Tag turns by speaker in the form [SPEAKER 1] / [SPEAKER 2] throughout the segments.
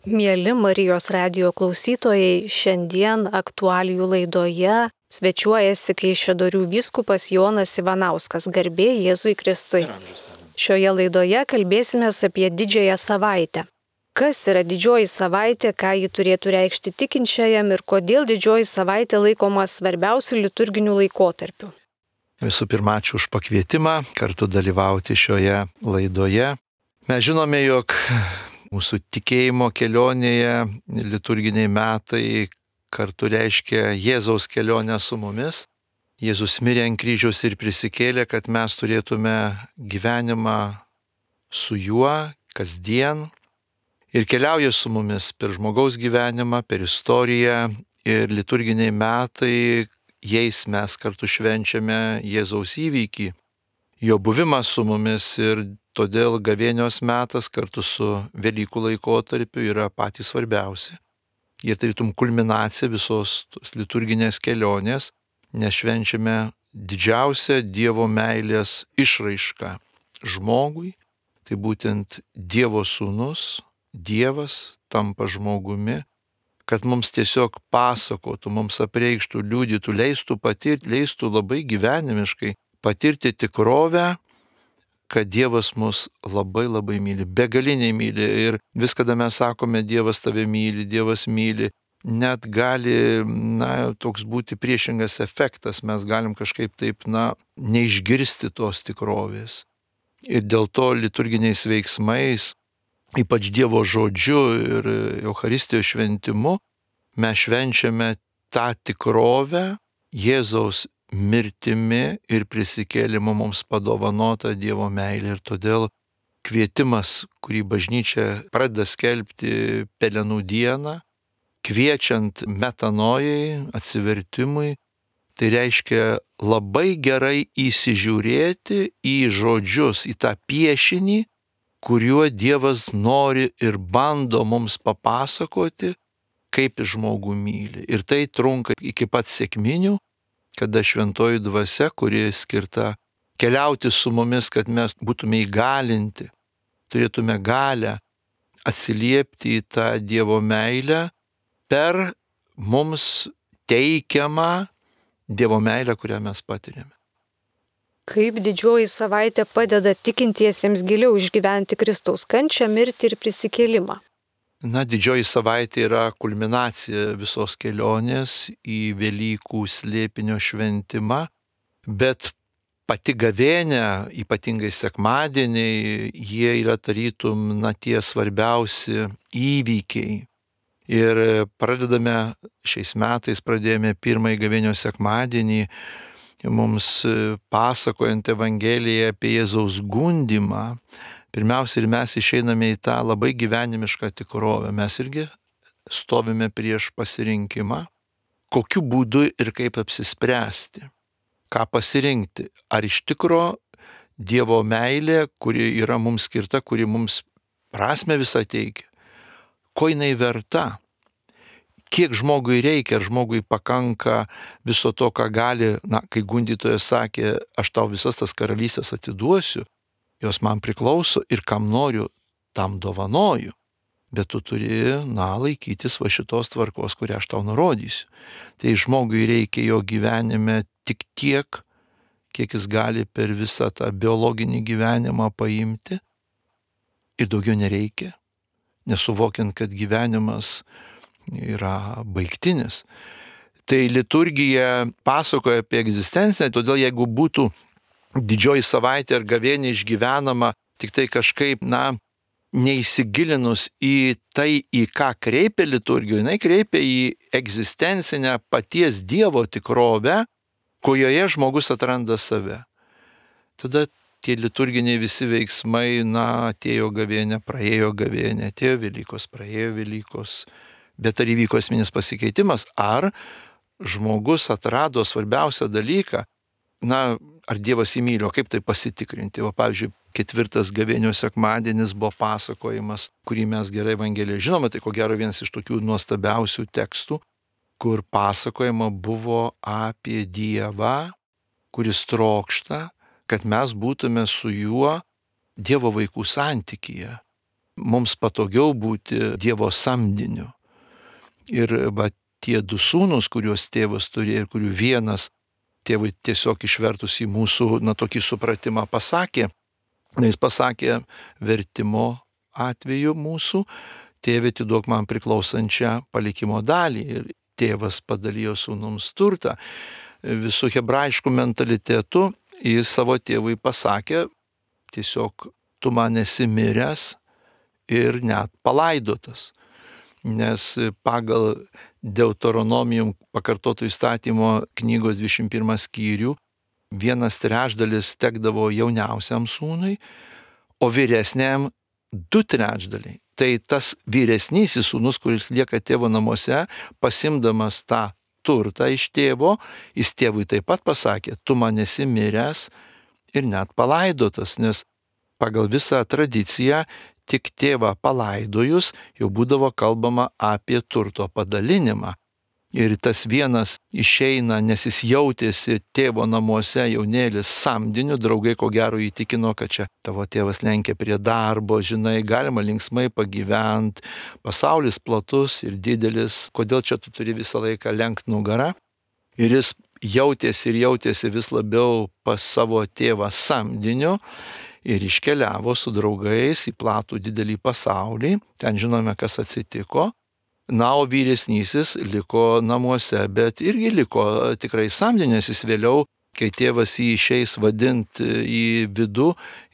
[SPEAKER 1] Mieli Marijos radijo klausytojai, šiandien aktualijų laidoje svečiuojasi Kaišiadorių vyskupas Jonas Ivanauskas, garbė Jėzui Kristui. Šioje laidoje kalbėsime apie Didžiąją savaitę. Kas yra Didžioji savaitė, ką ji turėtų reikšti tikinčiajam ir kodėl Didžioji savaitė laikoma svarbiausiu liturginiu laikotarpiu.
[SPEAKER 2] Visų pirma, ačiū už pakvietimą kartu dalyvauti šioje laidoje. Mes žinome, jog mūsų tikėjimo kelionėje liturginiai metai kartu reiškia Jėzaus kelionę su mumis. Jėzus mirė ant kryžiaus ir prisikėlė, kad mes turėtume gyvenimą su juo kasdien ir keliauja su mumis per žmogaus gyvenimą, per istoriją ir liturginiai metai, jais mes kartu švenčiame Jėzaus įvykį, jo buvimą su mumis ir todėl gavėnios metas kartu su Velykų laikotarpiu yra patys svarbiausi. Jie tarytum kulminacija visos tos liturginės kelionės, nes švenčiame didžiausią Dievo meilės išraišką žmogui. Tai būtent Dievo sūnus, Dievas tampa žmogumi, kad mums tiesiog pasakotų, mums apreikštų, liudytų, leistų patirti, leistų labai gyvenimiškai patirti tikrovę, kad Dievas mus labai labai myli, begaliniai myli ir vis kada mes sakome Dievas tave myli, Dievas myli, net gali, toks būti priešingas efektas, mes galim kažkaip taip, neišgirsti tos tikrovės. Ir dėl to liturginiais veiksmais, ypač Dievo žodžiu ir Eucharistijos šventimu, mes švenčiame tą tikrovę Jėzaus mirtimi ir prisikėlimu mums padovanota Dievo meilė. Ir todėl kvietimas, kurį bažnyčia pradeda skelbti Pelenų dieną, kviečiant metanojai, atsivertimui, tai reiškia labai gerai įsižiūrėti į žodžius, į tą piešinį, kuriuo Dievas nori ir bando mums papasakoti, kaip žmogų myli. Ir tai trunka iki pat sekminių, kada šventoji dvasia, kuri skirta keliauti su mumis, kad mes būtume įgalinti, turėtume galę atsiliepti į tą Dievo meilę per mums teikiamą Dievo meilę, kurią mes patiriame.
[SPEAKER 1] Kaip Didžioji savaitė padeda tikintiesiems giliau išgyventi Kristaus kančią, mirtį ir prisikėlimą?
[SPEAKER 2] Didžioji savaitė yra kulminacija visos kelionės į Velykų slėpinio šventimą, bet pati gavėnia, ypatingai sekmadieniai, jie yra tarytum tie svarbiausi įvykiai. Ir šiais metais pradėjome pirmąjį gavėnios sekmadienį, mums pasakojant Evangeliją apie Jėzaus gundymą. Pirmiausia, ir mes išeiname į tą labai gyvenimišką tikrovę. Mes irgi stovime prieš pasirinkimą, kokiu būdu ir kaip apsispręsti, ką pasirinkti. Ar iš tikro Dievo meilė, kuri yra mums skirta, kuri mums prasmę visą teikia, ko jinai verta, kiek žmogui reikia, ar žmogui pakanka viso to, ką gali, kai gundytojas sakė, aš tau visas tas karalystės atiduosiu, jos man priklauso ir kam noriu, tam dovanoju. Bet tu turi, laikytis šitos tvarkos, kurią aš tau nurodysiu. Tai žmogui reikia jo gyvenime tik tiek, kiek jis gali per visą tą biologinį gyvenimą paimti. Ir daugiau nereikia, nesuvokiant, kad gyvenimas yra baigtinis. Tai liturgija pasakoja apie egzistenciją, todėl jeigu būtų Didžioji savaitė ar gavėnė išgyvenama tik tai kažkaip, neįsigilinus į tai, į ką kreipia liturgija, jinai kreipia į egzistencinę paties Dievo tikrovę, kurioje žmogus atranda save. Tada tie liturginiai visi veiksmai, atėjo gavėnė, praėjo gavėnė, atėjo Velykos, praėjo Velykos. Bet ar įvyko esminis pasikeitimas, ar žmogus atrado svarbiausią dalyką, ar Dievas įmylio, kaip tai pasitikrinti. Pavyzdžiui, 4 gavėnios sekmadienis buvo pasakojimas, kurį mes gerai Evangelijoje žinome, tai ko gero vienas iš tokių nuostabiausių tekstų, kur pasakojama buvo apie Dievą, kuris trokšta, kad mes būtume su juo Dievo vaikų santykyje. mums patogiau būti Dievo samdiniu. Ir tie du sūnus, kuriuos tėvas turėjo ir kurių vienas tėvui tiesiog išvertus į mūsų, tokį supratimą pasakė, jis pasakė vertimo atveju mūsų, tėve, atiduok man priklausančią palikimo dalį. Ir tėvas padalijo sūnums turtą. Visų hebrajiškų mentalitetų jis savo tėvui pasakė, tiesiog tu man esi miręs ir net palaidotas. Nes pagal Deuteronomijum pakartoto įstatymo knygos 21 skyrių 1/3 tekdavo jauniausiam sūnui, o vyresniam 2/3. Tai tas vyresnysis sūnus, kuris lieka tėvo namuose, pasimdamas tą turtą iš tėvo, jis tėvui taip pat pasakė, tu man esi miręs ir net palaidotas, nes pagal visą tradiciją tik tėvą palaidojus jau būdavo kalbama apie turto padalinimą. Ir tas vienas išeina, nes jis jautėsi tėvo namuose jaunėlis samdiniu, draugai ko gero įtikino, kad čia tavo tėvas lenkia prie darbo, žinai, galima linksmai pagyventi, pasaulis platus ir didelis, kodėl čia tu turi visą laiką lenkti nugarą. Ir jis jautėsi vis labiau pas savo tėvą samdiniu ir iškeliavo su draugais į platų didelį pasaulį, ten žinome, kas atsitiko. Na, o vyresnysis liko namuose, bet irgi liko tikrai samdinės. Jis vėliau, kai tėvas jį išeis vadinti į vidų,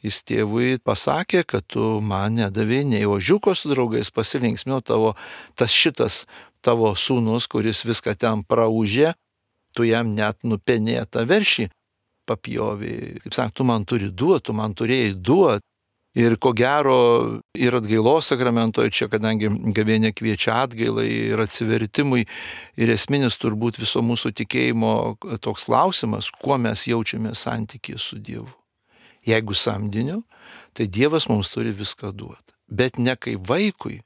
[SPEAKER 2] jis tėvui pasakė, kad tu man nedavė nei ožiuko su draugais, pasilinksmino šitas tavo sūnus, kuris viską ten praūžė, tu jam net nupenėtą veršį papjovė. Kaip sakant, tu man turi duoti, tu man turėjai duoti. Ir ko gero ir atgailos sakramentoje čia, kadangi gavėnia kviečia atgailai ir atsivertimui, ir esminis turbūt viso mūsų tikėjimo toks klausimas, kuo mes jaučiame santykį su Dievu. Jeigu samdiniu, tai Dievas mums turi viską duoti. Bet ne kaip vaikui,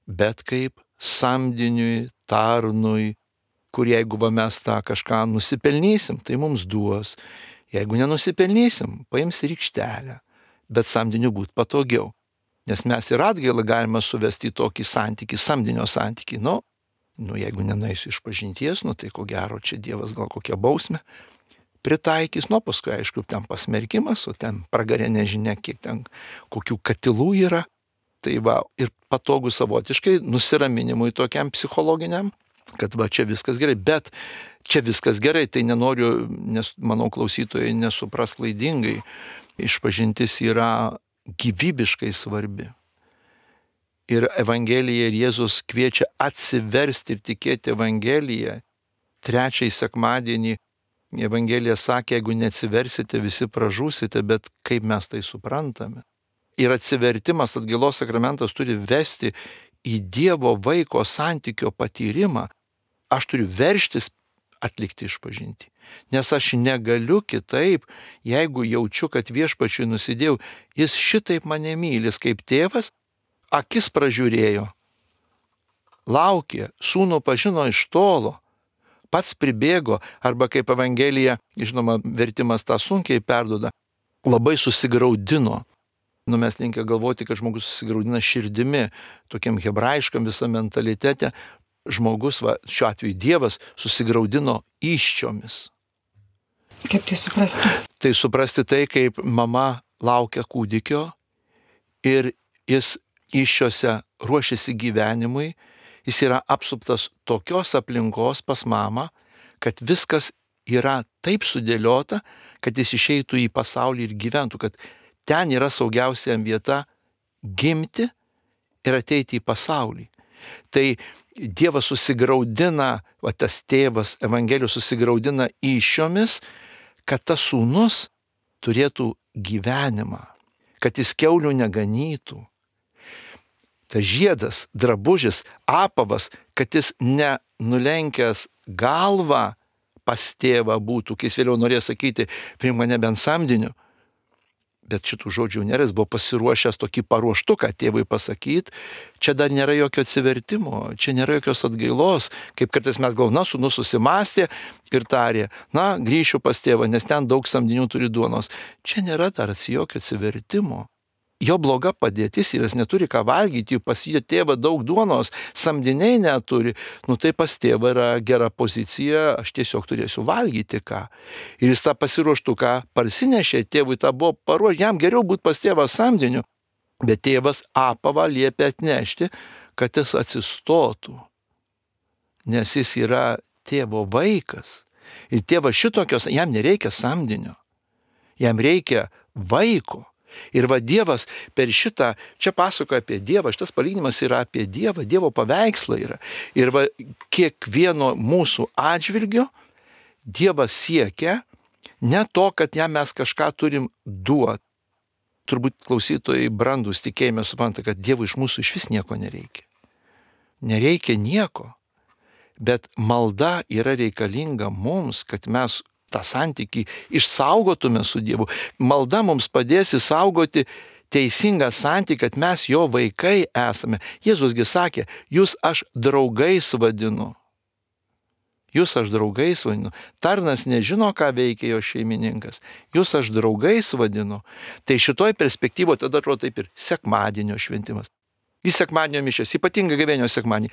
[SPEAKER 2] bet kaip samdiniui, tarnui, kur jeigu mes tą kažką nusipelnysim, tai mums duos. Jeigu nenusipelnysim, paims rykštelę. Bet samdiniu būti patogiau. Nes mes ir atgailą galime suvesti į tokį santykį, samdinio santykį. Jeigu nenueisiu iš pažinties, tai ko gero čia Dievas gal kokią bausmę pritaikys. Paskui aišku, ten pasmerkimas, o ten pragarė nežinia, kiek ten kokių katilų yra. Tai ir patogu savotiškai nusiraminimui tokiam psichologiniam, kad čia viskas gerai. Bet čia viskas gerai, tai nenoriu, nes manau klausytojai nesupras klaidingai. Išpažintis yra gyvybiškai svarbi. Ir Evangelija ir Jėzus kviečia atsiversti ir tikėti Evangeliją. 3 sekmadienį Evangelija sakė, jeigu neatsiversite, visi pražūsite, bet kaip mes tai suprantame. Ir atsivertimas, atgailos sakramentas turi vesti į Dievo vaiko santykio patyrimą. Aš turiu veržtis atlikti išpažintį. Nes aš negaliu kitaip, jeigu jaučiu, kad viešpačiui nusidėjau, jis šitaip mane mylis kaip tėvas, akis pražiūrėjo, laukė, sūnų pažino iš tolo, pats pribėgo, arba kaip Evangelija, žinoma, vertimas tą sunkiai perduoda, labai susigraudino. Mes linkę galvoti, kad žmogus susigraudina širdimi, tokiam hebrajiškam visam mentalitete, žmogus, šiuo atveju Dievas, susigraudino įsčiomis.
[SPEAKER 3] Kaip tai suprasti?
[SPEAKER 2] Tai suprasti tai, kaip mama laukia kūdikio ir jis įsčiose ruošiasi gyvenimui, jis yra apsuptas tokios aplinkos pas mamą, kad viskas yra taip sudėliota, kad jis išeitų į pasaulį ir gyventų, kad ten yra saugiausia vieta gimti ir ateiti į pasaulį. Tai Dievas susigraudina, tas tėvas Evangelijos susigraudina įsčiomis, kad tas sūnus turėtų gyvenimą, kad jis kiaulių neganytų. Tas žiedas, drabužis, apavas, kad jis nenulenkęs galvą pas tėvą būtų, kai jis vėliau norėjo sakyti, priimk mane bent samdiniu. Bet šitų žodžių nėra, jis buvo pasiruošęs tokį paruoštuką tėvui pasakyti, čia dar nėra jokio atsivertimo, čia nėra jokios atgailos, kaip kartais mes galvojame, sūnus susimastė ir tarė, grįšiu pas tėvą, nes ten daug samdinių turi duonos. Čia nėra dar jokio atsivertimo. jo bloga padėtis ir jis neturi ką valgyti, pas jo tėvą daug duonos, samdiniai neturi, tai pas tėvą yra gera pozicija, aš tiesiog turėsiu valgyti ką. Ir jis tą pasiruoštuką parsinešė, tėvui tą buvo paruošę, jam geriau būti pas tėvą samdiniu, bet tėvas apavą liepė atnešti, kad jis atsistotų, nes jis yra tėvo vaikas. Ir tėvas šitokios, jam nereikia samdinio, jam reikia vaiko. Ir Dievas per šitą, čia pasakoja apie Dievą, šitas palyginimas yra apie Dievą, Dievo paveikslą yra. Ir kiekvieno mūsų atžvilgio Dievas siekia ne to, kad jam mes kažką turim duoti. Turbūt klausytojai brandus tikėjime supranta, kad Dievui iš mūsų iš vis nieko nereikia. Nereikia nieko, bet malda yra reikalinga mums, kad mes tą santykį išsaugotume su Dievu. Malda mums padės išsaugoti teisingą santykį, kad mes jo vaikai esame. Jėzusgi sakė, jūs aš draugais vadinu. Jūs aš draugais vadinu. Tarnas nežino, ką veikia jo šeimininkas. Jūs aš draugais vadinu. Tai šitoj perspektyvoje tada atrodo taip ir sekmadienio šventimas. Į sekmadienio mišias, ypatingai gavėnios sekmadienį.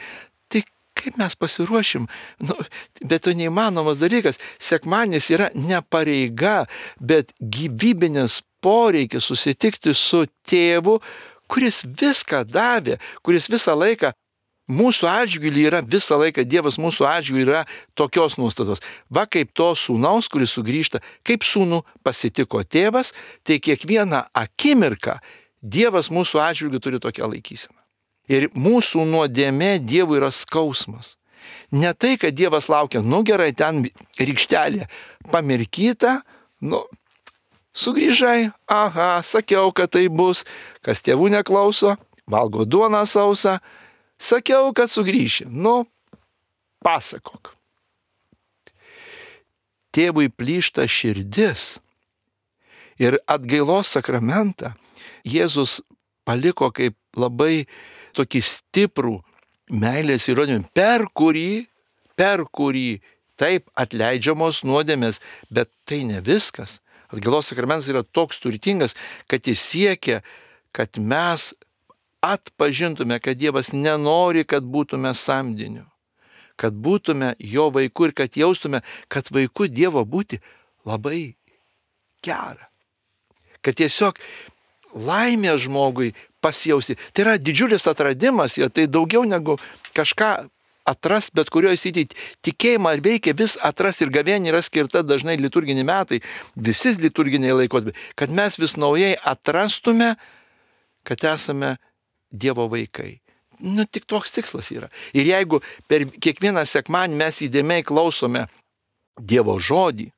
[SPEAKER 2] Tai kaip mes pasiruošim? Bet to neįmanomas dalykas. Sekmadienis yra ne pareiga, bet gyvybinis poreikis susitikti su tėvu, kuris viską davė, kuris visą laiką mūsų atžvilgiu yra, visą laiką Dievas mūsų atžvilgiu yra tokios nuostatos. Va kaip to sūnaus, kuris sugrįžta, kaip sūnų pasitiko tėvas, tai kiekvieną akimirką Dievas mūsų atžvilgiu turi tokią laikyseną. Ir mūsų nuodėmė Dievui yra skausmas. Ne tai, kad Dievas laukia, gerai, ten rykštelė pamirkyta, sugrįžai, sakiau, kad tai bus, kas tėvų neklauso, valgo duoną sausą, sakiau, kad sugrįši, pasakok. Tėvui plyšta širdis ir atgailos sakramentą Jėzus paliko kaip labai tokį stiprų meilės įrodymą, per kurį taip atleidžiamos nuodėmės, bet tai ne viskas. Atgailos sakramentas yra toks turtingas, kad jis siekia, kad mes atpažintume, kad Dievas nenori, kad būtume samdiniu, kad būtume jo vaiku ir kad jaustume, kad vaiku Dievo būti labai gera. Kad tiesiog laimė žmogui pasijausti. Tai yra didžiulis atradimas, tai daugiau negu kažką atrast, bet kurioje srityje tikėjimą veikia vis atrast ir gavėnia yra skirta dažnai liturginiai metai, visi liturginiai laikotarpiai, kad mes vis naujai atrastume, kad esame Dievo vaikai. Tik toks tikslas yra. Ir jeigu per kiekvieną sekmadienį mes įdėmiai klausome Dievo žodį,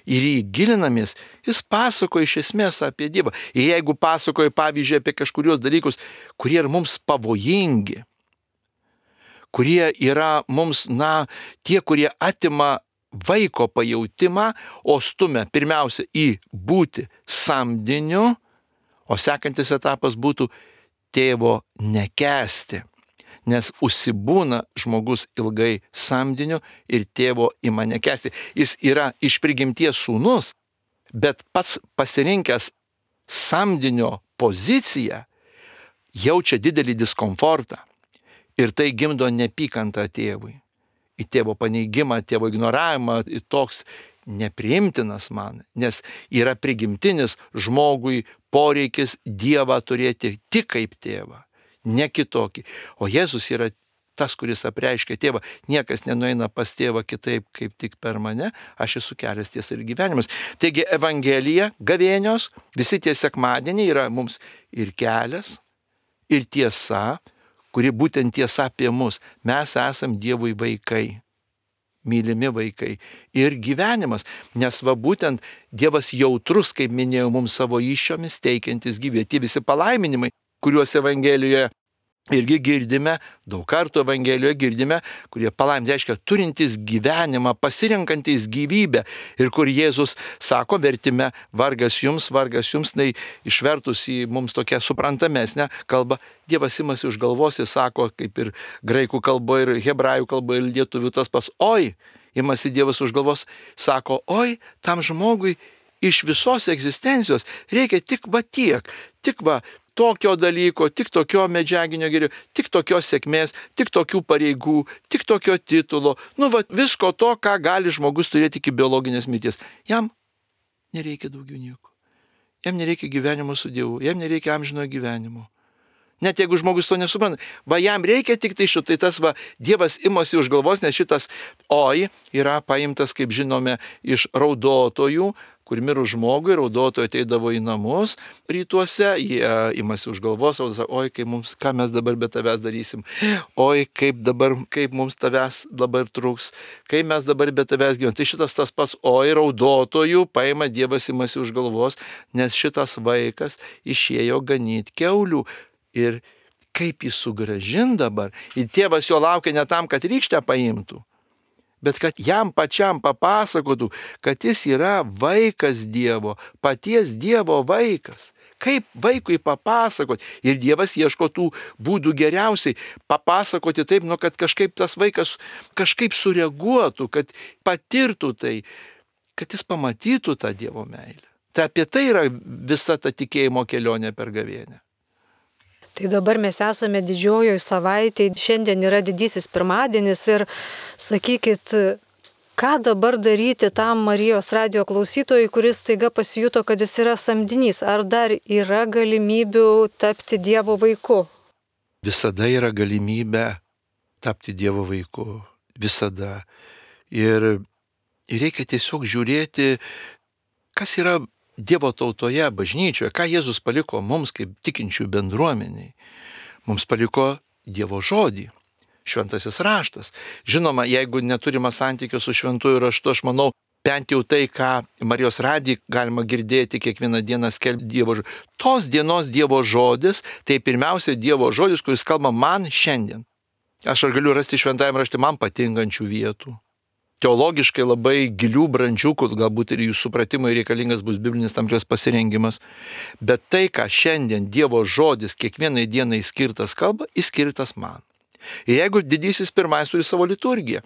[SPEAKER 2] ir jį gilinamės, jis pasakoja iš esmės apie Dievą. Ir jeigu pasakoja, pavyzdžiui, apie kažkurios dalykus, kurie yra mums pavojingi, kurie yra mums, tie, kurie atima vaiko pajautimą, o stumia pirmiausia į būti samdiniu, o sekantis etapas būtų tėvo nekęsti. Nes užsibūna žmogus ilgai samdiniu ir tėvo ima nekęsti. Jis yra iš prigimties sūnus, bet pats pasirinkęs samdinio poziciją jaučia didelį diskomfortą. Ir tai gimdo neapykantą tėvui. Į tėvo paneigimą, tėvo ignoravimą, toks nepriimtinas man, nes yra prigimtinis žmogui poreikis Dievą turėti tik kaip tėvą. Ne kitokį. O Jėzus yra tas, kuris apreiškia tėvą. Niekas nenueina pas tėvą kitaip, kaip tik per mane. Aš esu kelias, tiesa ir gyvenimas. Taigi Evangelija, gavėnios, visi tie sekmadieniai yra mums ir kelias, ir tiesa, kuri būtent tiesa apie mus. Mes esam Dievui vaikai, mylimi vaikai. Ir gyvenimas, nes būtent Dievas jautrus, kaip minėjau, mums savo įsčiomis teikiantis gyvybę. Tie visi palaiminimai, kuriuos Evangelijoje irgi girdime, daug kartų Evangelijoje girdime, kurie palaiminti reiškia turintys gyvenimą, pasirenkantys gyvybę. Ir kur Jėzus sako vertime, vargas jums, tai išvertus į mums tokią suprantamesnę kalbą, Dievas imasi už galvos, jis sako, kaip ir graikų kalboje, ir hebrajų kalboje, ir lietuvių tas pas, oi, imasi Dievas už galvos, sako, oi, tam žmogui iš visos egzistencijos reikia tik va tiek, tik va tokio dalyko, tik tokio medžiaginio gėrio, tik tokios sėkmės, tik tokių pareigų, tik tokio titulo, visko to, ką gali žmogus turėti iki biologinės mirties. Jam nereikia daugiau nieko. Jam nereikia gyvenimo su Dievu, jam nereikia amžinojo gyvenimo. Net jeigu žmogus to nesupranta, jam reikia tik tai šito, tai tas Dievas imasi už galvos, nes šitas oi yra paimtas, kaip žinome, iš raudotojų, kur mirus žmogui, raudotojai ateidavo į namus rytuose, jie imasi už galvos, oi, ką mes dabar be tavęs darysim, oi, kaip mums tavęs dabar trūks, kaip mes dabar be tavęs gyvename. Tai šitas tas pats oi raudotojų paima Dievas imasi už galvos, nes šitas vaikas išėjo ganyti kiaulių. Ir kaip jį sugrąžin dabar, ir tėvas jo laukia ne tam, kad rykštę paimtų, bet kad jam pačiam papasakotų, kad jis yra vaikas Dievo, paties Dievo vaikas. Kaip vaikui papasakoti? Ir Dievas ieško tų būdų geriausiai papasakoti taip, kad kažkaip tas vaikas kažkaip sureaguotų, kad patirtų tai, kad jis pamatytų tą Dievo meilę. Tai apie tai yra visa ta tikėjimo kelionė per gavėnią.
[SPEAKER 1] Tai dabar mes esame didžiojoje savaitėje, šiandien yra didysis pirmadienis ir sakykit, ką dabar daryti tam Marijos radijo klausytojui, kuris staiga pasijuto, kad jis yra samdinys, ar dar yra galimybių tapti Dievo vaiku?
[SPEAKER 2] Visada yra galimybė tapti Dievo vaiku, visada. Ir reikia tiesiog žiūrėti, kas yra Dievo tautoje, bažnyčioje, ką Jėzus paliko mums kaip tikinčių bendruomeniai. Mums paliko Dievo žodį, šventasis raštas. Žinoma, jeigu neturime santykio su šventuoju raštu, aš manau, bent jau tai, ką Marijos radiją galima girdėti kiekvieną dieną skelbti Dievo žodį. Tos dienos Dievo žodis, tai pirmiausia Dievo žodis, kuris kalba man šiandien. Aš galiu rasti šventajame rašte man patinkančių vietų. Teologiškai labai gilių, brandžių, kur galbūt ir jų supratimai reikalingas bus biblinis tam tikras pasirengimas. Bet tai, ką šiandien Dievo žodis kiekvienai dienai skirtas kalba, jis skirtas man. Ir jeigu didysis pirmais turi savo liturgiją,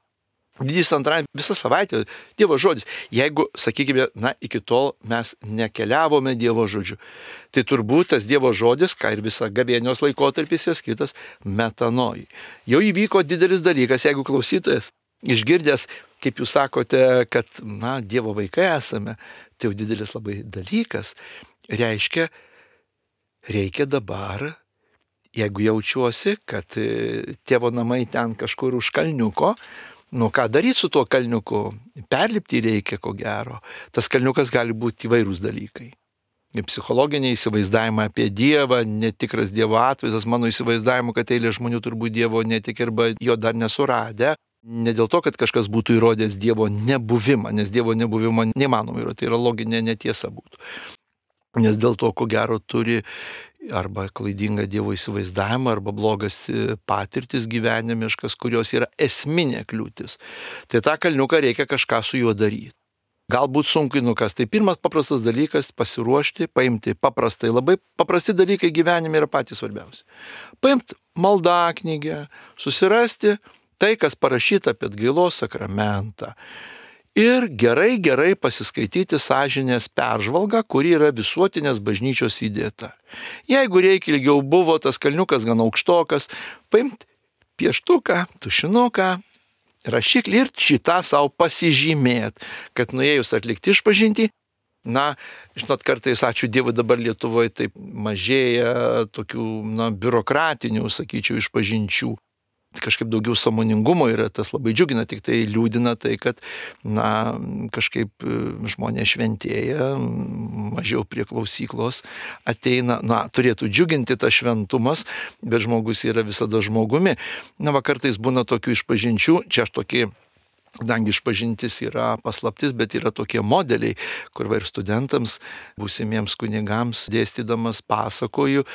[SPEAKER 2] didysis antrai visą savaitę Dievo žodis, jeigu, sakykime, iki tol mes nekeliavome Dievo žodžiu, tai turbūt tas Dievo žodis, ką ir visa gavėnios laikotarpis yra skirtas metanojai. Jau įvyko didelis dalykas, jeigu klausytojas išgirdęs, kaip jūs sakote, kad, Dievo vaikai esame, tai jau didelis labai dalykas. Reiškia, reikia dabar, jeigu jaučiuosi, kad tėvo namai ten kažkur už kalniuko, ką daryti su tuo kalniuku? Perlipti reikia, ko gero. Tas kalniukas gali būti įvairūs dalykai. Psichologiniai įsivaizdavimai apie Dievą, netikras Dievo atvaizdas, mano įsivaizdavimu, kad eilė žmonių turbūt Dievo netik arba jo dar nesuradę. Ne dėl to, kad kažkas būtų įrodęs Dievo nebuvimą, nes Dievo nebuvimą neįmanoma įrodyti, tai yra loginė netiesa būtų. Nes dėl to, ko gero, turi arba klaidingą Dievo įsivaizdavimą, arba blogas patirtis gyvenimiškas, kurios yra esminė kliūtis. Tai tą kalniuką reikia kažką su juo daryti. Galbūt sunku nukas. Tai pirmas paprastas dalykas - pasiruošti, paimti paprastai. Labai paprasti dalykai gyvenime yra patys svarbiausi. Paimti maldaknygę, susirasti tai, kas parašyta apie atgailos sakramentą. Ir gerai pasiskaityti sąžinės peržvalgą, kuri yra visuotinės bažnyčios įdėta. Jeigu reikia ilgiau buvo, tas kalniukas gan aukštokas, paimti pieštuką, tušinuką, rašiklį ir šitą savo pasižymėt, kad nuėjus atlikti išpažintį, žinot, kartais, ačiū Dievui, dabar Lietuvoje taip mažėja tokių, biurokratinių, sakyčiau, išpažinčių. Kažkaip daugiau sąmoningumo yra, tas labai džiugina, tik tai liūdina tai, kad, kažkaip žmonės šventėja, mažiau prie klausyklos ateina, turėtų džiuginti tas šventumas, bet žmogus yra visada žmogumi. Kartais būna tokių išpažinčių, čia aš tokį, kadangi išpažintis yra paslaptis, bet yra tokie modeliai, kur ir studentams, būsimiems kunigams dėstydamas pasakoju,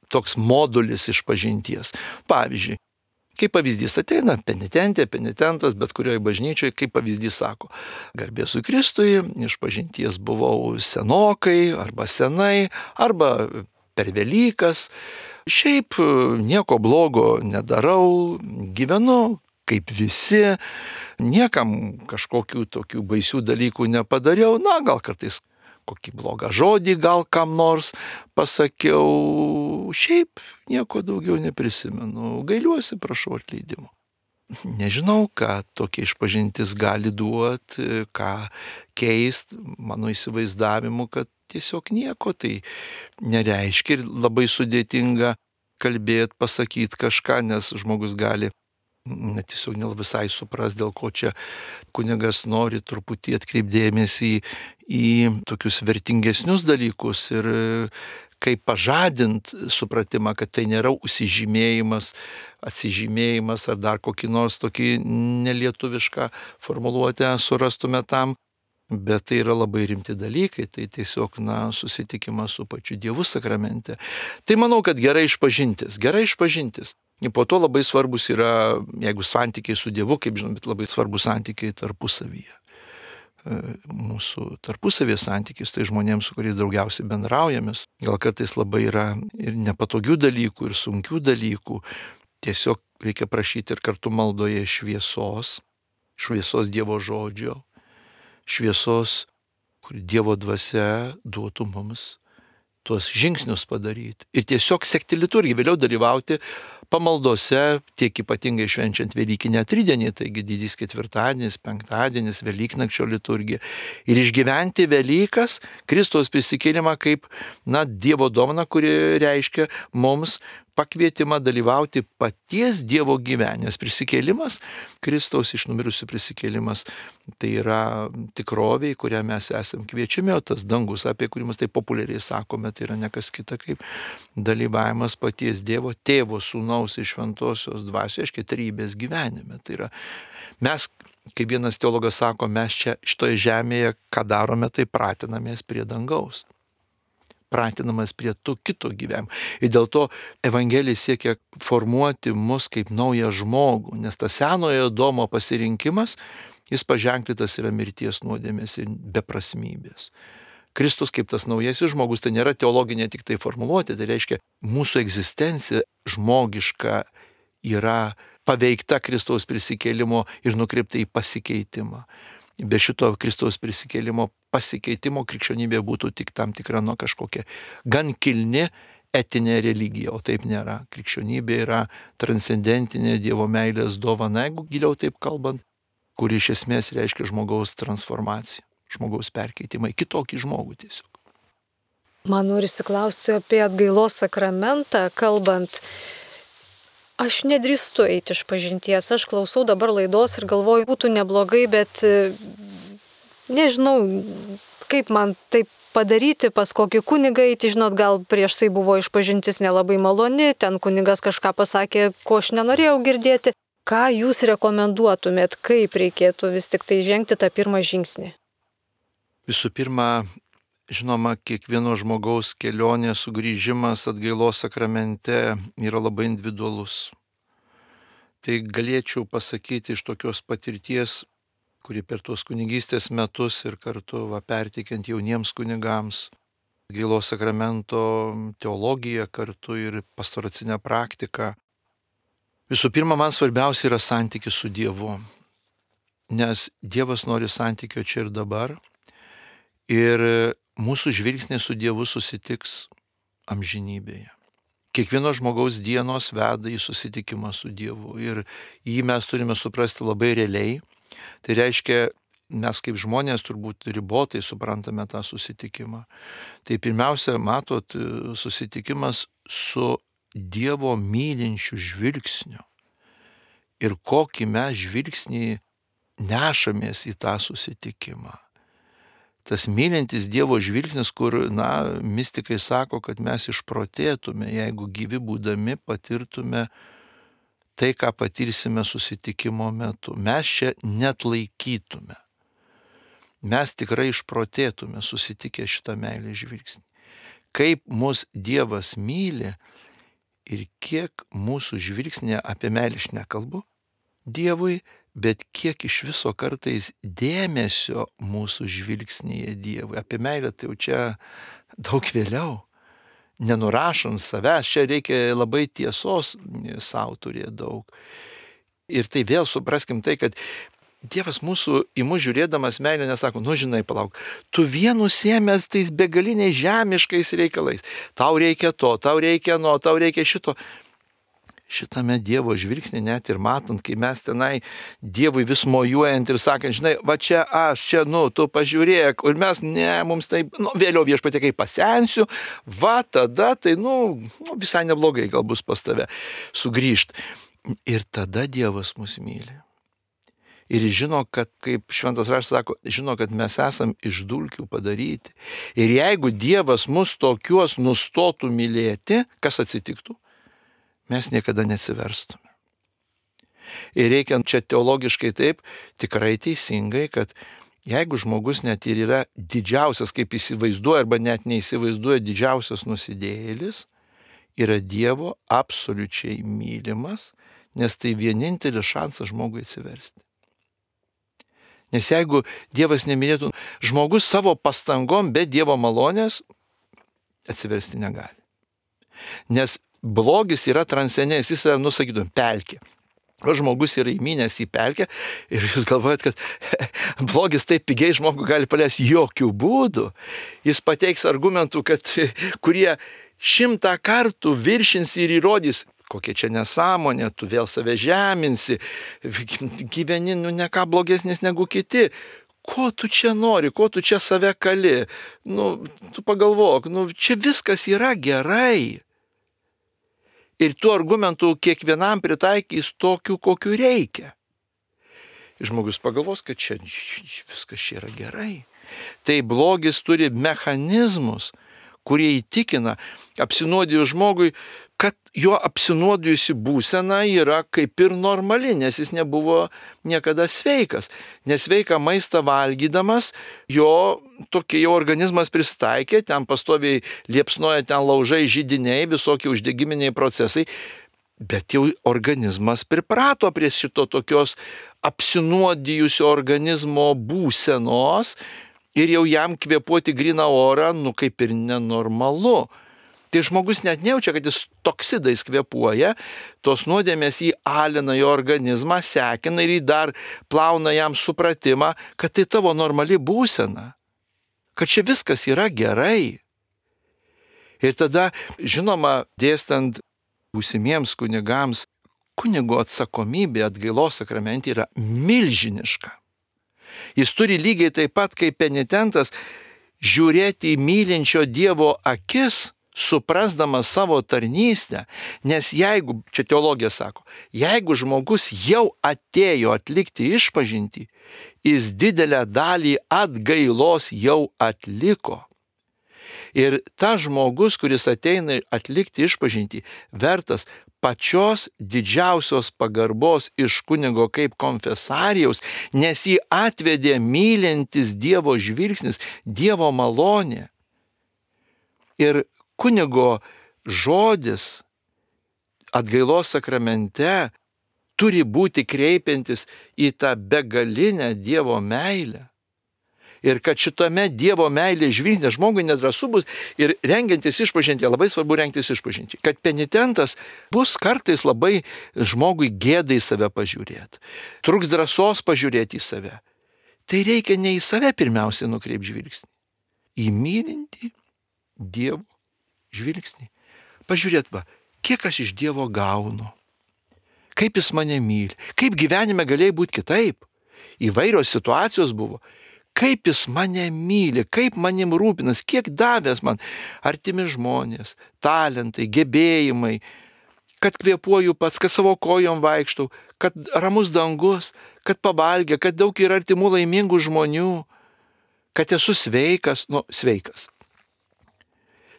[SPEAKER 2] toks modulis išpažinties. Pavyzdžiui, kaip pavyzdys ateina penitentė, penitentas, bet kurioje bažnyčioje, kaip pavyzdys sako, garbėsui Kristui, išpažinties buvau senokai, arba senai, arba per Velykas, šiaip nieko blogo nedarau, gyvenu kaip visi, niekam kažkokių tokių baisių dalykų nepadariau, gal kartais kokį blogą žodį gal kam nors pasakiau, šiaip nieko daugiau neprisimenu, gailiuosi, prašau atleidimo. Nežinau, ką tokia išpažintis gali duoti, ką keist mano įsivaizdavimu, kad tiesiog nieko tai nereiškia ir labai sudėtinga kalbėti, pasakyti kažką, nes žmogus gali tiesiog ne visai supras, dėl ko čia kunigas nori truputį atkreipdėmėsi į tokius vertingesnius dalykus ir kaip pažadint supratimą, kad tai nėra užsižymėjimas, atsižymėjimas ar dar kokį nors tokį nelietuvišką formuluotę surastume tam, bet tai yra labai rimti dalykai, tai tiesiog susitikimas su pačiu Dievu sakramente. Tai manau, kad gerai išpažintis. Ir po to labai svarbus yra, jeigu santykiai su Dievu, kaip žinom, bet labai svarbus santykiai tarpusavyje. Mūsų tarpusavės santykis, tai žmonėms, su kuriais daugiausiai bendraujamės. Gal kartais labai yra ir nepatogių dalykų, ir sunkių dalykų. Tiesiog reikia prašyti ir kartu maldoje šviesos Dievo žodžio, šviesos, kur Dievo dvasia duotų mums tuos žingsnius padaryti. Ir tiesiog sekti liturgiją, vėliau dalyvauti pamaldose, tiek ypatingai švenčiant Velykinę tridienį, taigi didys ketvirtadienis, penktadienis, Velyknakčio liturgija. Ir išgyventi Velykas, Kristaus prisikėlimą kaip Dievo dovana, kuri reiškia mums pakvietimą dalyvauti paties Dievo gyvenime. Prisikėlimas, Kristaus iš numirusių prisikėlimas, tai yra tikrovė, į kurią mes esam kviečiami, o tas dangus, apie kurį mes taip populiariai sakome, tai yra ne kas kita kaip dalyvavimas paties Dievo, Tėvo, Sūnaus ir Šventosios Dvasios, aiškiai, trejybės gyvenime. Tai yra mes, kaip vienas teologas sako, mes čia šitoje žemėje, ką darome, tai pratinamės prie dangaus. Pratinamas prie to kito gyvenimo. Ir dėl to Evangelija siekia formuoti mus kaip naują žmogų, nes tas senojo Adomo pasirinkimas, jis paženklytas yra mirties, nuodėmės ir beprasmybės. Kristus kaip tas naujasis žmogus, tai nėra teologinė tik tai formuluotė, tai reiškia mūsų egzistencija žmogiška yra paveikta Kristaus prisikėlimo ir nukreipta į pasikeitimą. Be šito Kristaus prisikėlimo pasikeitimo krikščionybė būtų tik tam tikra kažkokia gan kilni etinė religija, o taip nėra. Krikščionybė yra transcendentinė Dievo meilės dovana, jeigu giliau taip kalbant, kuri iš esmės reiškia žmogaus transformaciją, žmogaus perkeitimą į kitokį žmogų tiesiog.
[SPEAKER 1] Man norisi klausti apie atgailos sakramentą, kalbant. Aš nedrįstu eiti iš pažinties, aš klausau dabar laidos ir galvoju, būtų neblogai, bet nežinau, kaip man taip padaryti, pas kokį kunigą eiti, žinot, gal prieš tai buvo išpažintis nelabai maloni, ten kunigas kažką pasakė, ko aš nenorėjau girdėti. Ką jūs rekomenduotumėt, kaip reikėtų vis tik tai žengti tą pirmą žingsnį?
[SPEAKER 2] Visų pirma, žinoma, kiekvieno žmogaus kelionė, sugrįžimas atgailos sakramente yra labai individualus. Tai galėčiau pasakyti iš tokios patirties, kuri per tuos kunigystės metus ir kartu perteikiant jauniems kunigams atgailos sakramento teologiją kartu ir pastoracinę praktiką. Visų pirma, man svarbiausia yra santykis su Dievu, nes Dievas nori santykio čia ir dabar. Ir mūsų žvilgsniai su Dievu susitiks amžinybėje. Kiekvieno žmogaus dienos veda į susitikimą su Dievu ir jį mes turime suprasti labai realiai. Tai reiškia, mes kaip žmonės turbūt ribotai suprantame tą susitikimą. Tai pirmiausia, matot, susitikimas su Dievo mylinčiu žvilgsniu. Ir kokį mes žvilgsnį nešamės į tą susitikimą. Tas mylintis Dievo žvilgsnis, kur, mistikai sako, kad mes išprotėtume, jeigu gyvi būdami patirtume tai, ką patirsime susitikimo metu. Mes čia net laikytume. Mes tikrai išprotėtume susitikę šitą meilės žvilgsnį. Kaip mus Dievas myli ir kiek mūsų žvilgsnė apie meilę aš nekalbu Dievui, bet kiek iš viso kartais dėmesio mūsų žvilgsnyje Dievui. Apie meilę tai jau čia daug vėliau. Nenurašant savęs, čia reikia labai tiesos savo turėti daug. Ir tai vėl supraskim tai, kad Dievas mūsų į mus žiūrėdamas meilę nesako, nu žinai, palauk, tu vien užsiėmęs tais begaliniais žemiškais reikalais. Tau reikia to, tau reikia no, tau reikia šito. Šitame Dievo žvilgsnį net ir matant, kai mes tenai Dievui vis mojuojant ir sakant, žinai, va čia aš, čia, tu pažiūrėk, ir mes, ne, mums tai, vėliau Viešpatie, kai pasensiu, va tada tai, visai neblogai gal bus pas tave sugrįžt. Ir tada Dievas mus myli. Ir žino, kad, kaip Šventas Raštas sako, žino, kad mes esam iš dulkių padaryti. Ir jeigu Dievas mus tokiuos nustotų mylėti, kas atsitiktų? Mes niekada neatsiverstume. Ir reikia čia teologiškai taip, tikrai teisingai, kad jeigu žmogus net ir yra didžiausias, kaip įsivaizduoja, arba net neįsivaizduoja didžiausias nusidėjėlis, yra Dievo absoliučiai mylimas, nes tai vienintelis šansas žmogui atsiversti. Nes jeigu Dievas nemylėtų, žmogus savo pastangom be Dievo malonės atsiversti negali. Nes blogis yra transcendentas, jis yra, sakytum, pelkė. O žmogus yra įmynęs į pelkę ir jūs galvojat, kad blogis taip pigiai žmogų gali paleisti, jokių būdų. Jis pateiks argumentų, kurie 100 kartų viršins ir įrodys, kokia čia nesąmonė, tu vėl save žeminsi, gyveni, ne ką blogesnis negu kiti. Ko tu čia nori, ko tu čia save kali? Tu pagalvok, čia viskas yra gerai. Ir tų argumentų kiekvienam pritaikys tokių, kokių reikia. Ir žmogus pagalvos, kad čia viskas čia yra gerai. Tai blogis turi mechanizmus, kurie įtikina apsinuodijus žmogui, kad jo apsinuodijusi būsena yra kaip ir normali, nes jis nebuvo niekada sveikas. Nesveiką maistą valgydamas, jo organizmas pristaikė, ten pastoviai liepsnoja, ten laužai, židiniai, visokie uždegiminiai procesai, bet jau organizmas priprato prie šito tokios apsinuodijusio organizmo būsenos ir jau jam kvėpuoti gryną orą, kaip ir nenormalu. Tai žmogus net nejaučia, kad jis toksidais kvėpuoja, tos nuodėmės jį alina jo organizmą, sekina ir jį dar plauna jam supratimą, kad tai tavo normali būsena, kad čia viskas yra gerai. Ir tada, žinoma, dėstant būsimiems kunigams, kunigo atsakomybė atgailos sakramente yra milžiniška. Jis turi lygiai taip pat kaip penitentas žiūrėti į mylinčio Dievo akis, suprasdamas savo tarnystę, nes jeigu, čia teologija sako, jeigu žmogus jau atėjo atlikti išpažintį, jis didelę dalį atgailos jau atliko. Ir tas žmogus, kuris ateina atlikti išpažintį, vertas pačios didžiausios pagarbos iš kunigo kaip konfesarijaus, nes jį atvedė mylintis Dievo žvilgsnis, Dievo malonė. Ir kunigo žodis atgailos sakramente turi būti kreipiantis į tą begalinę Dievo meilę. Ir kad šitame Dievo meilės žvilgsnė žmogui nedrąsu bus ir rengiantis išpažintį, labai svarbu rengtis išpažintį, kad penitentas bus kartais labai žmogui gėdai save pažiūrėti, truks drąsos pažiūrėti į save. Tai reikia ne į save pirmiausiai nukreipti žvilgsnį, į mylintį Dievo žvilgsnį. Pažiūrėt, kiek aš iš Dievo gaunu, kaip jis mane myli, kaip gyvenime galėjo būti kitaip. Įvairios situacijos buvo. Kaip jis mane myli, kaip manim rūpinas, kiek davęs man artimi žmonės, talentai, gebėjimai, kad kvėpuoju pats, kad savo kojom vaikštau, kad ramus dangus, kad pavalgė, kad daug yra artimų laimingų žmonių, kad esu sveikas, sveikas.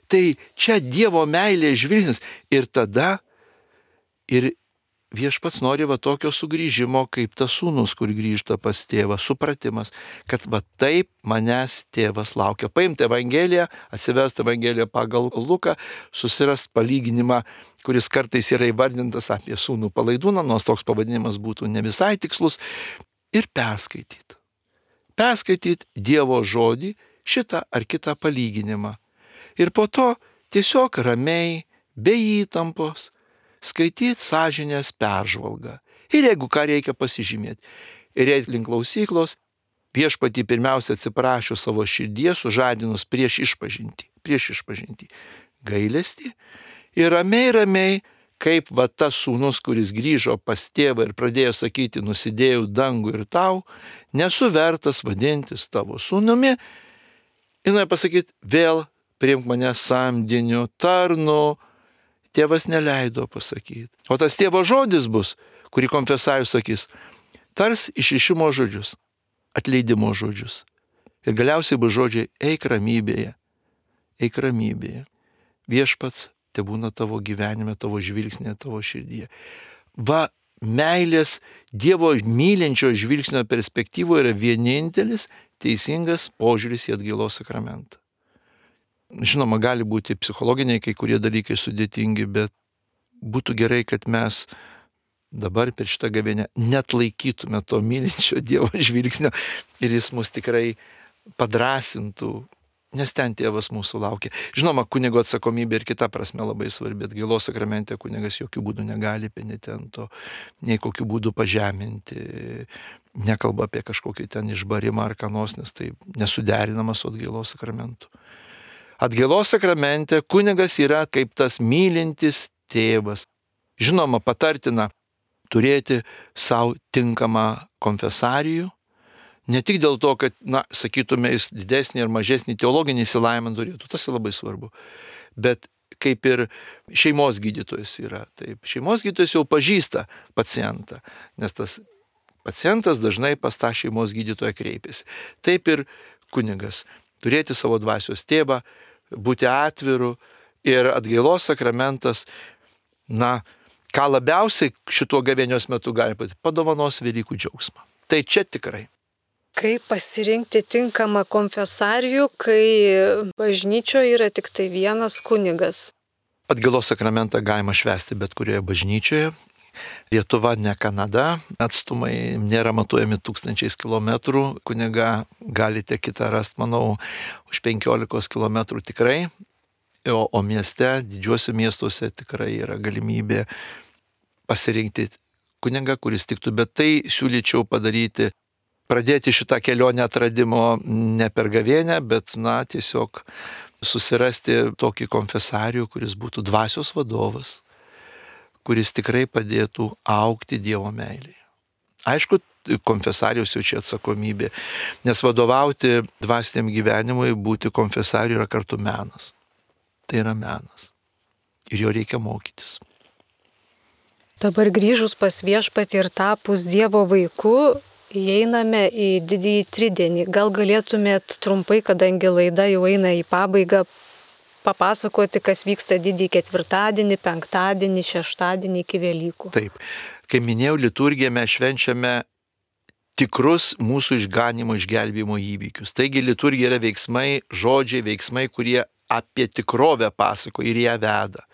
[SPEAKER 2] Tai čia Dievo meilė žvilgsnis ir tada ir Viešpats nori tokio sugrįžimo, kaip tas sūnus, kur grįžta pas tėvą, supratimas, kad taip manęs tėvas laukia. Paimti Evangeliją, atsiversti Evangeliją pagal Luką, susirast palyginimą, kuris kartais yra įvardintas apie sūnų palaidūną, nors toks pavadinimas būtų ne visai tikslus, ir perskaityti. Perskaityti Dievo žodį, šitą ar kitą palyginimą. Ir po to tiesiog ramiai, be įtampos, skaityti sąžinės peržvalgą. Ir jeigu ką reikia pasižymėti. ir eit link klausyklos, viešpatį pirmiausia atsiprašo savo širdies, sužadinus prieš išpažintį, gailestį ir ramiai, kaip va tas sūnus, kuris grįžo pas tėvą ir pradėjo sakyti, nusidėjau dangų ir tau, nesu vertas vadintis tavo sūnumi, ir nori pasakyti, vėl priimk mane samdiniu, tarnu. Tėvas neleido pasakyti. O tas tėvo žodis bus, kurį konfesorius sakys, tars išrišimo žodžius, atleidimo žodžius. Ir galiausiai bus žodžiai, eik ramybėje. Viešpats tebūna tavo gyvenime, tavo žvilgsnė, tavo širdyje. Va, meilės Dievo mylinčio žvilgsnio perspektyvoje yra vienintelis teisingas požiūris į atgailos sakramentą. Žinoma, gali būti psichologiniai kai kurie dalykai sudėtingi, bet būtų gerai, kad mes dabar per šitą gavėnią net laikytume to mylinčio Dievo žvilgsnio ir jis mus tikrai padrasintų, nes ten tėvas mūsų laukia. Žinoma, kunigo atsakomybė ir kita prasme labai svarbi. Atgailos sakramente kunigas jokių būdų negali penitento, nei kokių būdų pažeminti, nekalba apie kažkokį ten išbarimą ar kanos, nes tai nesuderinama su atgailos sakramentu. Atgailos sakramente kunigas yra kaip tas mylintis tėvas. Žinoma, patartina turėti savo tinkamą konfesarijų, ne tik dėl to, kad, sakytume, jis didesnį ar mažesnį teologinį išsilavinimą turėtų, tas labai svarbu, bet kaip ir šeimos gydytojas yra. Taip, šeimos gydytojas jau pažįsta pacientą, nes tas pacientas dažnai pas tą šeimos gydytoją kreipiasi. Taip ir kunigas turėti savo dvasios tėvą, būti atviru ir atgailos sakramentas, ką labiausiai šituo gavėnios metu gali būti, padovanos Velykų džiaugsmą. Tai čia tikrai.
[SPEAKER 1] Kaip pasirinkti tinkamą konfesarijų, kai bažnyčioje yra tik tai vienas kunigas?
[SPEAKER 2] Atgailos sakramentą galima švęsti bet kurioje bažnyčioje. Lietuva ne Kanada, atstumai nėra matuojami 1000 kilometrų, kunigą galite kitą rasti, manau, už 15 kilometrų tikrai, o mieste, didžiuose miestuose tikrai yra galimybė pasirinkti kunigą, kuris tiktų, bet tai siūlyčiau pradėti šitą kelionę atradimo ne per gavėnę, bet tiesiog susirasti tokį konfesorių, kuris būtų dvasios vadovas, kuris tikrai padėtų augti Dievo meilėje. Aišku, konfesarijos jau čia atsakomybė, nes vadovauti dvasiniam gyvenimui, būti konfesariu yra kartu menas. Tai yra menas. Ir jo reikia mokytis.
[SPEAKER 1] Dabar grįžus pas viešpatį ir tapus Dievo vaiku, įeiname į didįjį tridienį. Gal galėtumėt trumpai, kadangi laida jau eina į pabaigą, papasakoti, kas vyksta didįjį ketvirtadienį, penktadienį, šeštadienį iki Velykų.
[SPEAKER 2] Taip, kaip minėjau, liturgiją mes švenčiame tikrus mūsų išganimo, išgelbėjimo įvykius. Taigi liturgija yra veiksmai, kurie apie tikrovę pasako ir ją veda.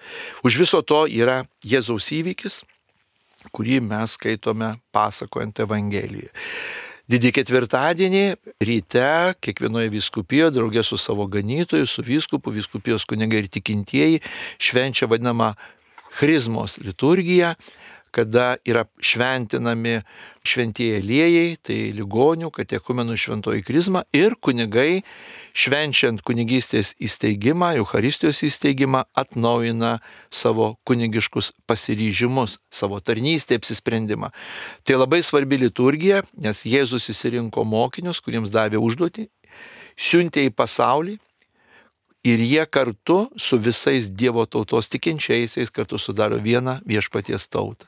[SPEAKER 2] Už viso to yra Jėzaus įvykis, kurį mes skaitome pasakojant Evangelijoje. Didįjį ketvirtadienį ryte kiekvienoje vyskupijoje draugė su savo ganytoju, su vyskupu, vyskupijos kunigai ir tikintieji švenčia vadinamą Chrizmos liturgiją, kada yra šventinami šventieji aliejai, tai ligonių, katekumenų šventoji krizma ir kunigai švenčiant kunigystės įsteigimą, Eucharistijos įsteigimą, atnaujina savo kunigiškus pasiryžimus, savo tarnystę, apsisprendimą. Tai labai svarbi liturgija, nes Jėzus išsirinko mokinius, kuriems davė užduotį, siuntė į pasaulį ir jie kartu su visais Dievo tautos tikinčiaisiais kartu sudaro vieną viešpaties tautą.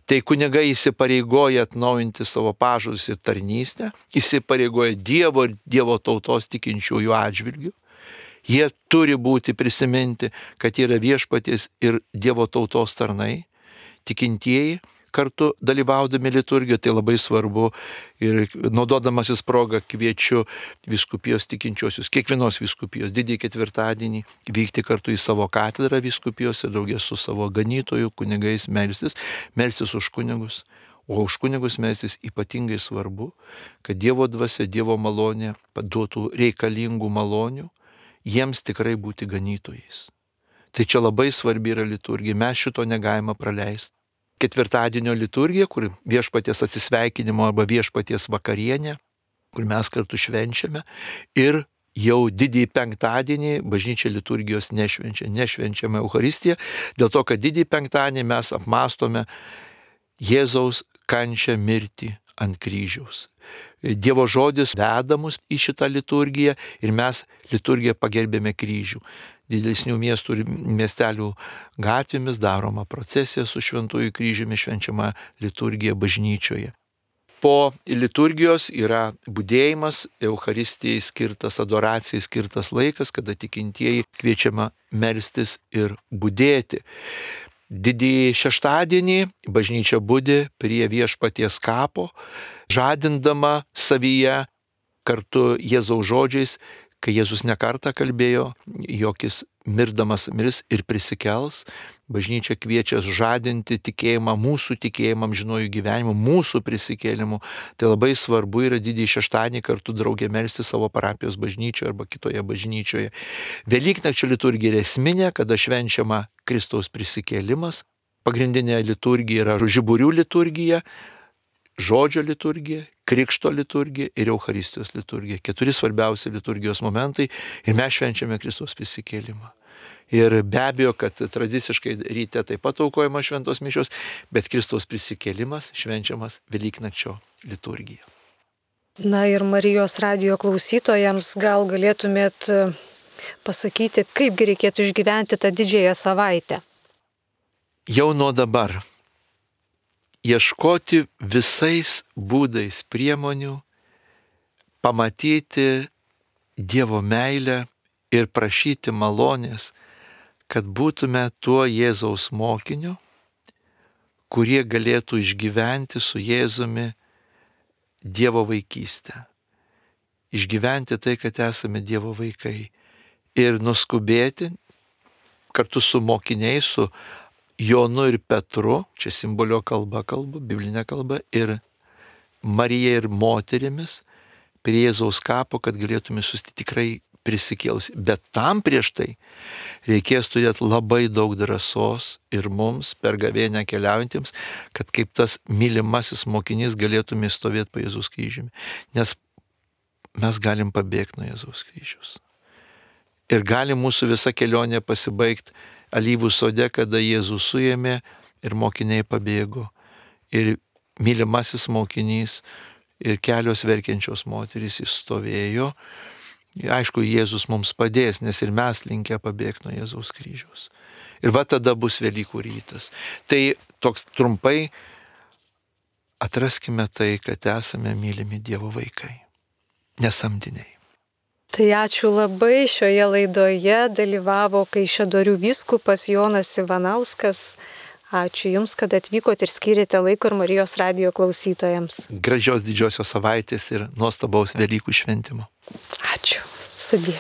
[SPEAKER 2] Tai kunigai įsipareigoja atnaujinti savo pažadus ir tarnystę, įsipareigoja Dievo ir Dievo tautos tikinčiųjų atžvilgių. Jie turi būti prisiminti, kad yra viešpaties ir Dievo tautos tarnai, tikintieji, kartu dalyvaudami liturgijoje, tai labai svarbu ir naudodamasis progą kviečiu vyskupijos tikinčiosius, kiekvienos vyskupijos didįjį ketvirtadienį vykti kartu į savo katedrą vyskupijos ir draugės su savo ganytoju, kunigais melstis už kunigus, o už kunigus melstis ypatingai svarbu, kad Dievo dvasia, Dievo malonė duotų reikalingų malonių, jiems tikrai būti ganytojais. Tai čia labai svarbi yra liturgija, mes šito negalime praleisti. ketvirtadienio liturgija, kur viešpaties atsisveikinimo arba viešpaties vakarienė, kur mes kartu švenčiame. Ir jau didįjį penktadienį bažnyčia liturgijos nešvenčiame Eucharistiją, dėl to, kad didįjį penktadienį mes apmąstome Jėzaus kančią, mirtį ant kryžiaus. Dievo žodis veda mus į šitą liturgiją ir mes liturgiją pagerbėme kryžių. Didesnių miestų ir miestelių gatvėmis daroma procesija su šventųjų kryžiumi, švenčiama liturgija bažnyčioje. Po liturgijos yra budėjimas, Eucharistijai skirtas, adoracijai skirtas laikas, kada tikintieji kviečiama melstis ir budėti. Didįjį šeštadienį bažnyčia budi prie viešpaties kapo, žadindama savyje kartu Jėzaus žodžiais, kai Jėzus nekartą kalbėjo, jog jis mirdamas mirs ir prisikels. Bažnyčia kviečia žadinti tikėjimą, mūsų tikėjimą amžinuoju gyvenimu, mūsų prisikėlimu. Tai labai svarbu yra didįjį šeštadienį kartu draugė melsti savo parapijos bažnyčioje arba kitoje bažnyčioje. Velyknakčio liturgija yra esminė, kada švenčiama Kristaus prisikėlimas. Pagrindinė liturgija yra žiburių liturgija, žodžio liturgija, krikšto liturgija ir Eucharistijos liturgija. 4 svarbiausi liturgijos momentai ir mes švenčiame Kristaus prisikėlimą. Ir be abejo, kad tradiciškai ryte taip pat aukojama šventos mišios, bet Kristaus prisikėlimas švenčiamas Velyknakčio liturgija.
[SPEAKER 1] Na ir Marijos radijo klausytojams gal galėtumėt pasakyti, kaipgi reikėtų išgyventi tą didžiąją savaitę?
[SPEAKER 2] Jau nuo dabar ieškoti visais būdais priemonių, pamatyti Dievo meilę ir prašyti malonės, kad būtume tuo Jėzaus mokiniu, kurie galėtų išgyventi su Jėzumi Dievo vaikystę. Išgyventi tai, kad esame Dievo vaikai. Ir nuskubėti kartu su mokiniais, su Jonu ir Petru, čia simbolio kalba kalbu, biblinė kalba, ir Marija ir moterimis prie Jėzaus kapo, kad galėtume susitikti tikrai prisikėlus. Bet tam prieš tai reikės turėti labai daug drąsos ir mums per gavėnią keliaujantiems, kad kaip tas mylimasis mokinys galėtume stovėti po Jėzaus kryžiumi. Nes mes galim pabėgti nuo Jėzaus kryžiaus. Ir gali mūsų visa kelionė pasibaigti alyvų sode, kada Jėzus suėmė ir mokiniai pabėgo. Ir mylimasis mokinys ir kelios verkiančios moterys įstovėjo. Aišku, Jėzus mums padės, nes ir mes linkę pabėgti nuo Jėzaus kryžiaus. Ir va tada bus Velykų rytas. Tai toks trumpai atraskime tai, kad esame mylimi Dievo vaikai, nesamdiniai.
[SPEAKER 1] Tai ačiū labai, šioje laidoje dalyvavo Kaišiadorių vyskupas Jonas Ivanauskas. Ačiū Jums, kad atvykote ir skyrėte laiko ir Marijos radijo klausytojams.
[SPEAKER 2] Gražios didžiosios savaitės ir nuostabaus Velykų šventimo.
[SPEAKER 1] Ačiū. Sudie.